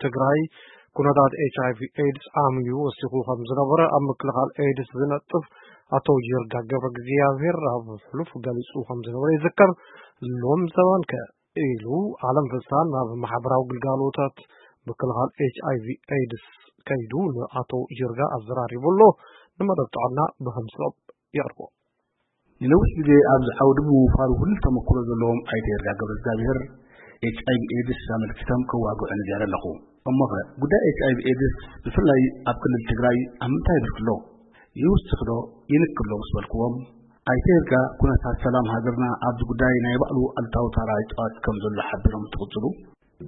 ትግራይ ኩነታት ኤች ኣይ ቪ ኤድስ ዓምዩ ወሲኹ ከም ዝነበረ ኣብ ምክልኻል ኤድስ ዝነጥፍ ኣቶ ይርጋ ገብረ እግዚኣብሔር ኣብ ሕሉፍ ገሊጹ ከም ዝነበረ ይዝከር። ሎም ዘባን ከ ኢሉ ዓለም ፍስሃ ናብ ማሕበራዊ ግልጋሎታት ምክልኻል ኤች ኣይ ቪ ኤድስ ከይዱ ንኣቶ ይርጋ ኣዘራሪቡ ኣሎ። ንመደብ ጥዕና ብኸምስኦም የቕርቦ። ንነዊሕ ግዜ ኣብዚ ዓውዲ ብምውፋሩ ፍሉይ ተመክሮ ዘለዎም ኣይተ ይርጋ ገብረ እግዚኣብሔር ኤች ኣይ ቪ ኤድስ ኣመልኪቶም ከዋግዑ ነጊረ ኣለኹ። እሞኸ ጉዳይ ኤች ኣይ ቪ ኤድስ ብፍላይ ኣብ ክልል ትግራይ ኣብ ምንታይ ብርኪ ኣሎ? ይውስኽ ዶ ይንክሎ ምስ በልክዎም፣ ኣይተ ይርጋ ኩነታት ሰላም ሃገርና ኣብዚ ጉዳይ ናይ ባዕሉ ኣሉታዊ ታራ ይጻወት ከም ዘሎ ሓቢሮም እንትቕጽሉ፣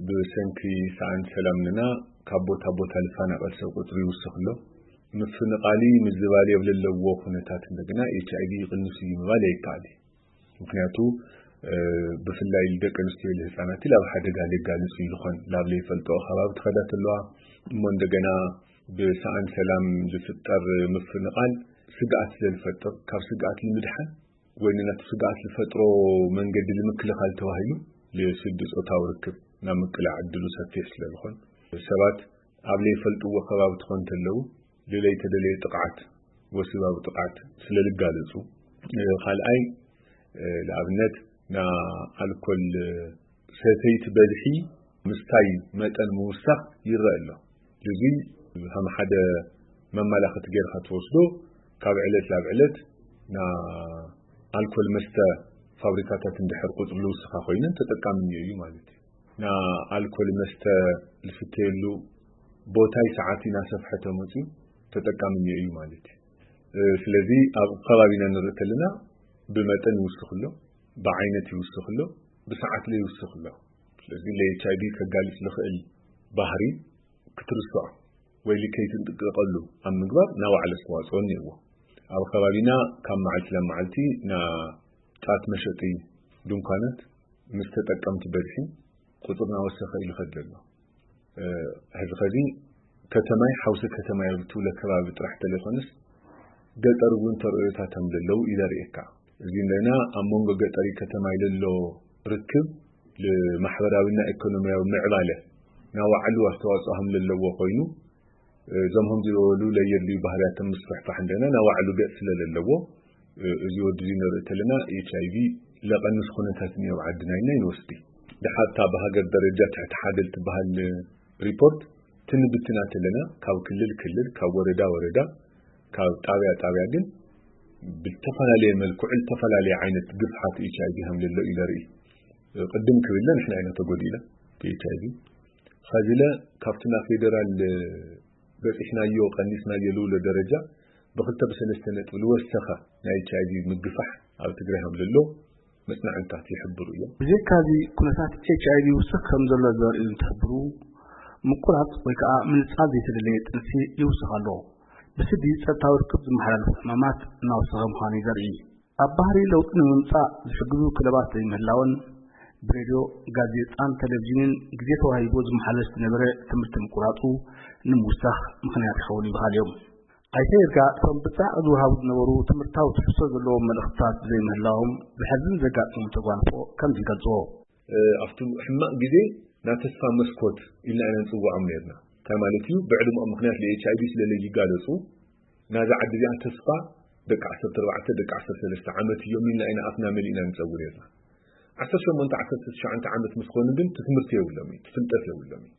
ብሰንኪ ሰኣን ሰላምና ካብ ቦታ ቦታ ልፋናቐል ሰብ ቁፅሪ ይውስኽ ኣሎ። ምፍንቓሊ ምዝባል የብለለዎ ኩነታት እንደገና ኤች ኣይ ቪ ይቕንሱ እዩ ምባል ኣይከኣል እዩ። ምክንያቱ ብፍላይ ደቂ ኣንስትዮ ህፃናት ላብ ሓደጋ ሌጋልፁ ይልኾን ላብ ለይፈልጦ ከባቢ ትኸዳ ተለዋ እሞ እንደገና ብሰኣን ሰላም ዝፍጠር ምፍንቓል ስግኣት ስለዝፈጥር ካብ ስግኣት ንምድሓን ወይ ንናቱ ስግኣት ዝፈጥሮ መንገዲ ንምክልኻል ተባሂሉ ልስዲ ፆታዊ ርክብ ናብ ምቅላዕ ዕድሉ ሰፊሕ ስለዝኾን ሰባት ኣብ ለይፈልጥዎ ከባቢ ትኾን ተለዉ ልለይተደለየ ጥቕዓት ወሲባዊ ጥቕዓት ስለልጋለፁ ካልኣይ ንኣብነት ንኣልኮል ሰተይቲ በዝሒ ምስታይ መጠን ምውሳኽ ይረአ ኣሎ። እዚ ከም ሓደ መመላኸቲ ጌርካ ትወስዶ ካብ ዕለት ናብ ዕለት ንኣልኮል መስተ ፋብሪካታት እንድሕር ቁፅሪ ልውስኻ ኮይነን ተጠቃሚ እኒኦ እዩ ማለት እዩ። ንኣልኮል መስተ ልስተየሉ ቦታይ ሰዓት እናሰፍሐ ተመፅዩ ተጠቃሚ እኒኦ እዩ ማለት እዩ። ስለዚ ኣብ ከባቢና ንርኢ ከለና ብመጠን ይውስኽ ኣሎ፣ ብዓይነት ይውስኽ ኣሎ፣ ብሰዓት ለ ይውስኽ ኣሎ። ስለዚ ለ ኤች ኣይ ቪ ከጋልፅ ዝኽእል ባህሪ ክትርስዖ ወይ ከይትንጥቅቀሉ ኣብ ምግባር ናባዕሉ ኣስተዋፅኦ እኒኦዎ። ኣብ ከባቢና ካብ መዓልቲ ናብ መዓልቲ ና ጫት መሸጢ ድንኳናት ምስ ተጠቀምቲ በዝሒ ቁፅር ናወሰኸ ኢሉ ከድለ ኣሎ። ሕዚ ኸዚ ከተማይ ሓውሲ ከተማይ ትብለ ከባቢ ጥራሕ ተለይኮነስ ገጠር እውን ተርእዮታት ከም ዘለዉ እዩ ዘርእየካ። እዚ እንደና ኣብ መንጎ ገጠሪ ከተማይ ለሎ ርክብ ንማሕበራዊና ኢኮኖሚያዊ ምዕባለ ናባዕሉ ኣስተዋፅኦ ከም ዘለዎ ኮይኑ እዞም ከምዚ ዝበሉ ለየድልዩ ባህርያት ምስፍሕፋሕ እንደና ናባዕሉ ገፅ ስለለለዎ እዚ ወዲ እዚ ንርኢ ተለና ኤች ኣይ ቪ ለቐንስ ኩነታት እኒኦ ዓድና ኢና ይንወስዲ። ድሓታ ብሃገር ደረጃ ትሕቲ ሓደ ልትበሃል ሪፖርት ትንብትና ተለና ካብ ክልል ክልል ካብ ወረዳ ወረዳ ካብ ጣብያ ጣብያ ግን ብተፈላለየ መልክዑ ዝተፈላለየ ዓይነት ግፍሓት ኤች ኣይ ቪ ከም ዘሎ እዩ ዘርኢ። ቅድም ክብለ ንሕና ኢና ተጎዲእና ብኤች ኣይ ቪ ኸዚለ ካብቲ ናብ ፌደራል በፂሕናዮ ቀኒስናዮ ልውሎ ደረጃ ብክልተ ብሰለስተ ነጥቢ ልወሰኸ ናይ ኤች ኣይ ቪ ምግፋሕ ኣብ ትግራይ ከም ዘሎ መፅናዕትታት ይሕብሩ እዮም። ብዘይካዚ ኩነታት ኤች ኣይ ቪ ይውስኽ ከም ዘሎ ዘርእዩ እንትሕብሩ፣ ምቁራፅ ወይ ከዓ ምንፃል ዘይተደለየ ጥንሲ ይውስኽ ኣሎ። ብስዲ ፀጥታዊ ርክብ ዝመሓላለፉ ሕማማት እናወሰኸ ምዃኑ እዩ ዘርኢ። ኣብ ባህሪ ለውጢ ንምምፃእ ዝሕግዙ ክለባት ዘይምህላውን ብሬድዮ፣ ጋዜጣን ቴሌቪዥንን ግዜ ተዋሂቡ ዝመሓለፍ ዝነበረ ትምህርቲ ምቁራፁ ንምውሳኽ ምኽንያት ይኸውን ይበሃል እዮም። ኣይተ ይርጋ እቶም ብፃዕቕ ዝወሃቡ ዝነበሩ ትምህርታዊ ትሕዝቶ ዘለዎም መልእኽትታት ብዘይምህላዎም ዘሕዝን ዘጋጠሞም ተጓንፎ ከምዚ ይገልፅዎ። ኣብቲ ሕማቕ ግዜ ናይ ተስፋ መስኮት ኢልና ኢና ንፅውዖም ነርና። እንታይ ማለት እዩ? ብዕድመኦም ምኽንያት ለ ኤች ኣይ ቪ ስለ ለይጋለፁ ናዛ ዓዲ እዚኣ ተስፋ ደቂ ዓሰርተ ኣርባዕተ ደቂ ዓሰርተ ሰለስተ ዓመት እዮም ኢልና ኢና ኣፍና መሊእና ንፀውር ነርና። ዓሰርተ ሸሞንተ ዓሰርተ ትሽዓተ ዓመት ምስ ኾኑ ግን ትምህርቲ የብሎም እዩ፣ ፍልጠት የብሎም እዩ።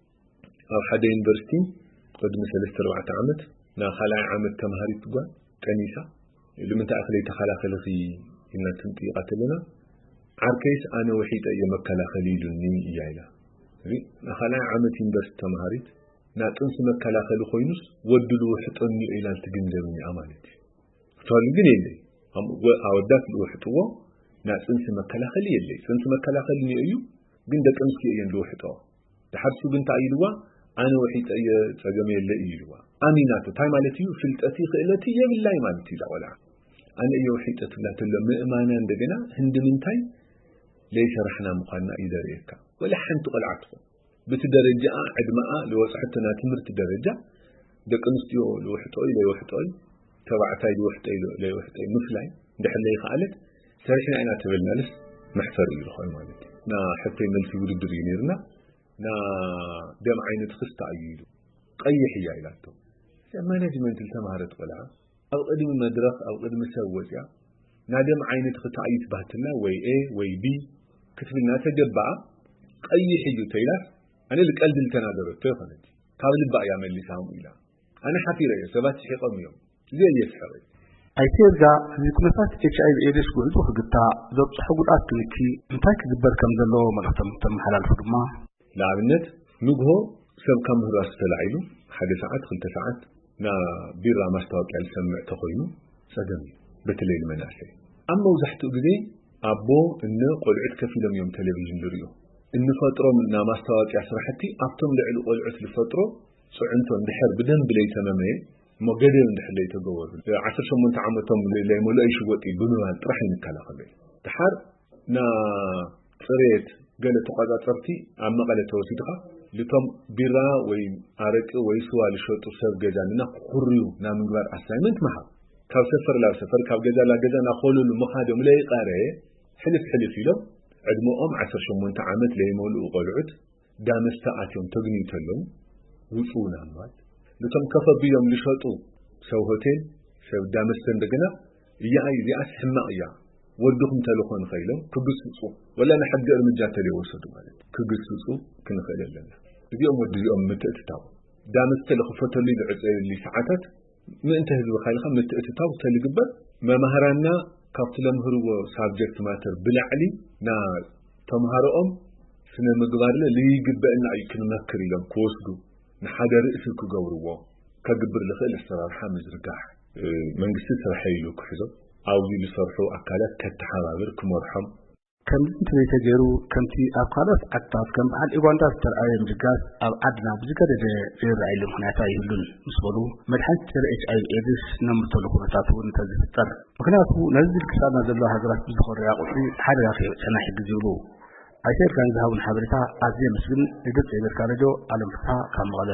ኣብ ሓደ ዩኒቨርሲቲ ቅድሚ ሰለስተ ኣርባዕተ ዓመት ናይ ካልኣይ ዓመት ተምሃሪት ጓል ጠኒሳ ልምንታይ ኢኺ ለይተኸላኸልኺ ኢልና ክንጥይቓ ተለና ዓርከይስ ኣነ ውሒጠ እየ መከላኸሊ ኢሉኒ እያ ኢላ። ናይ ካልኣይ ዓመት ዩኒቨርሲቲ ተምሃሪት ናይ ጥንሲ መከላኸሊ ኮይኑስ ወዲ ልውሕጦ እኒኦ ኢላ ልትግንዘብ እኒኣ ማለት እዩ። ክትበሉ ግን የለይ። ኣወዳት ልውሕጥዎ ናይ ጥንሲ መከላኸሊ የለይ። ጥንሲ መከላኸሊ እኒኦ እዩ ግን ደቂ ኣንስትዮ እየን ልውሕጠኦ። ድሓር ሱ ግን እንታይ ኢልዋ ኣነ ውሒጠ እየ ጸገም የለ እዩ ኢልዋ። ኣሚናቶ እንታይ ማለት እዩ? ፍልጠቲ ክእለቲ የብላይ ማለት እዩ እዛ ቆልዓ። ኣነ እየ ውሒጠ ትብላ ተሎ ምእማና እንደገና ህንዲ ምንታይ ለይሰራሕና ምዃንና እዩ ዘርእየካ። ወላ ሓንቲ ቆልዓ ትኹን ብቲ ደረጃኣ ዕድመኣ ልወፅሐቶ ናይ ትምህርቲ ደረጃ ደቂ ኣንስትዮ ልውሕጦ እዩ ለይውሕጦ እዩ ተባዕታይ ልውሕጦ እዩ ለይውሕጦ እዩ ምፍላይ እንድሕር ለይከኣለት ሰሪሕና ኢና ተበልናልስ መሕፈር እዩ ዝኾን ማለት እዩ። ና ሕቶይ መልሲ ውድድር እዩ ነይርና። ና ደም ዓይነትኽስ ተኣዩ ኢሉ። ቀይሕ እያ ኢላቶ። እዚኣ ማኔጅመንት ዝተማህረት ቆልዓ ኣብ ቅድሚ መድረኽ፣ ኣብ ቅድሚ ሰብ ወፅያ፣ ና ደም ዓይነትኺ ተኣዩ ትባህትልና ወይ ኤ ወይ ቢ ክትብልና ተገባኣ። ቀይሕ እዩ ተይላስ፣ ኣነ ልቀልድ ልተናገረቶ ይኾነት፣ ካብ ልባ እያ መሊሳ ከምኡ ኢላ። ኣነ ሓፊረ እየ፣ ሰባት ስሒቆም እዮም። እዚ እየ ስሕቕ። ኣይተ ይርጋ፣ እዚ ኩነታት ኤች ኣይ ቪ ኤድስ ጉዕዞ ክግታእ፣ ዘብፅሖ ጉድኣት ክንኪ እንታይ ክግበር ከም ዘለዎ መልእኽቶም ተመሓላልፉ ድማ፣ ንኣብነት፣ ንግሆ ሰብ ካብ ምህራሱ ተላዒሉ ሓደ ሰዓት፣ ክልተ ሰዓት ና ቢራ ማስታወቅያ ዝሰምዕ ተኾይኑ ጸገም እዩ። በተለይ ንመናእሰይ። ኣብ መብዛሕትኡ ግዜ ኣቦ፣ እነ፣ ቆልዑት ከፊሎም እዮም ቴሌቪዥን ዝርእዩ። እንፈጥሮም ና ማስታወቅያ ስራሕቲ ኣብቶም ልዕሊ ቆልዑት ዝፈጥሮ ጽዕንቶ እንድሕር ብደንቢ ለይተመመየ እሞ ገደብ እንድሕር ለይተገበሩ፣ ዓሰርተ ሸሞንተ ዓመቶም ለይመልኦ ይሽወጥ እዩ ብምባል ጥራሕ ይንከላኸሉ። ድሓር ና ጽሬት ገለ ተቆጻጸርቲ ኣብ መቐለ ተወሲድኻ ልቶም ቢራ ወይ ኣረቂ ወይ ስዋ ልሸጡ ሰብ ገዛ ንና ክኹርዩ ና ምግባር ኣሳይመንት ምሃብ። ካብ ሰፈር ላብ ሰፈር፣ ካብ ገዛ ላብ ገዛ ናኾለሉ ምኻዶም ለይቀረ ሕልፍ ሕልፍ ኢሎም ዕድመኦም ዓሰርተ ሸሞንተ ዓመት ለይመልኡ ቆልዑት ዳመስተ ኣትዮም ተግንዩ ተለዉ ውጹ ናምባት ልቶም ከፈ ቢሎም ልሸጡ ሰብ ሆቴል ሰብ ዳመስተ እንደገና እያ እዚኣስ ሕማቕ እያ ወድኹም ተልኾ ንኸኢሎም ክግስጹ ወላ ንሕጊ እርምጃ ተለይወሰዱ ማለት ክግስጹ ክንኽእል ኣለና። እዚኦም ወዲ እዚኦም ምትእትታው ዳመስተ ልኽፈተሉ ልዕጸየሉ ሰዓታት ምእንተ ህዝቢ ካይልካ ምትእትታው ተልግበር መማህራንና ካብቲ ለምህርዎ ሳብጀክት ማተር ብላዕሊ ና ተምሃሮኦም ስነ ምግባርለ ልይግበእና እዩ ክንመክር ኢሎም ክወስዱ ንሓደ ርእሲ ክገብርዎ ከግብር ልኽእል ኣሰራርሓ ምዝርጋሕ መንግስቲ ስርሐ ኢሉ ክሕዞ ኣብዚ ዝሰርሑ ኣካላት ከተሓባብር ክመርሖም ከምዚ እንተዘይተገይሩ ከምቲ ኣብ ካልኦት ዓድታት ከም በዓል ኡጋንዳ ዝተርኣየ ምድጋፍ ኣብ ዓድና ብዝገደደ ዘይረኣየሉ ምኽንያት ኣይህሉን ምስ በሉ መድሓኒት ጸረ ኤች ኣይ ቪ ኤድስ ነምርተሉ ኩነታት እውን እንተዝፍጠር ምኽንያቱ ነዚ ዝልግሳና ዘሎ ሃገራት ብዝኾረያ ቁፅሪ ሓደጋ ከየብፀና ይሕግዝ ይብሉ። ኣይተ እርጋን ዝሃቡን ሓበሬታ ኣዝየ የመስግን። ንድምፂ ኣሜሪካ ሬድዮ ኣለም ፍስሃ ካብ መቐለ።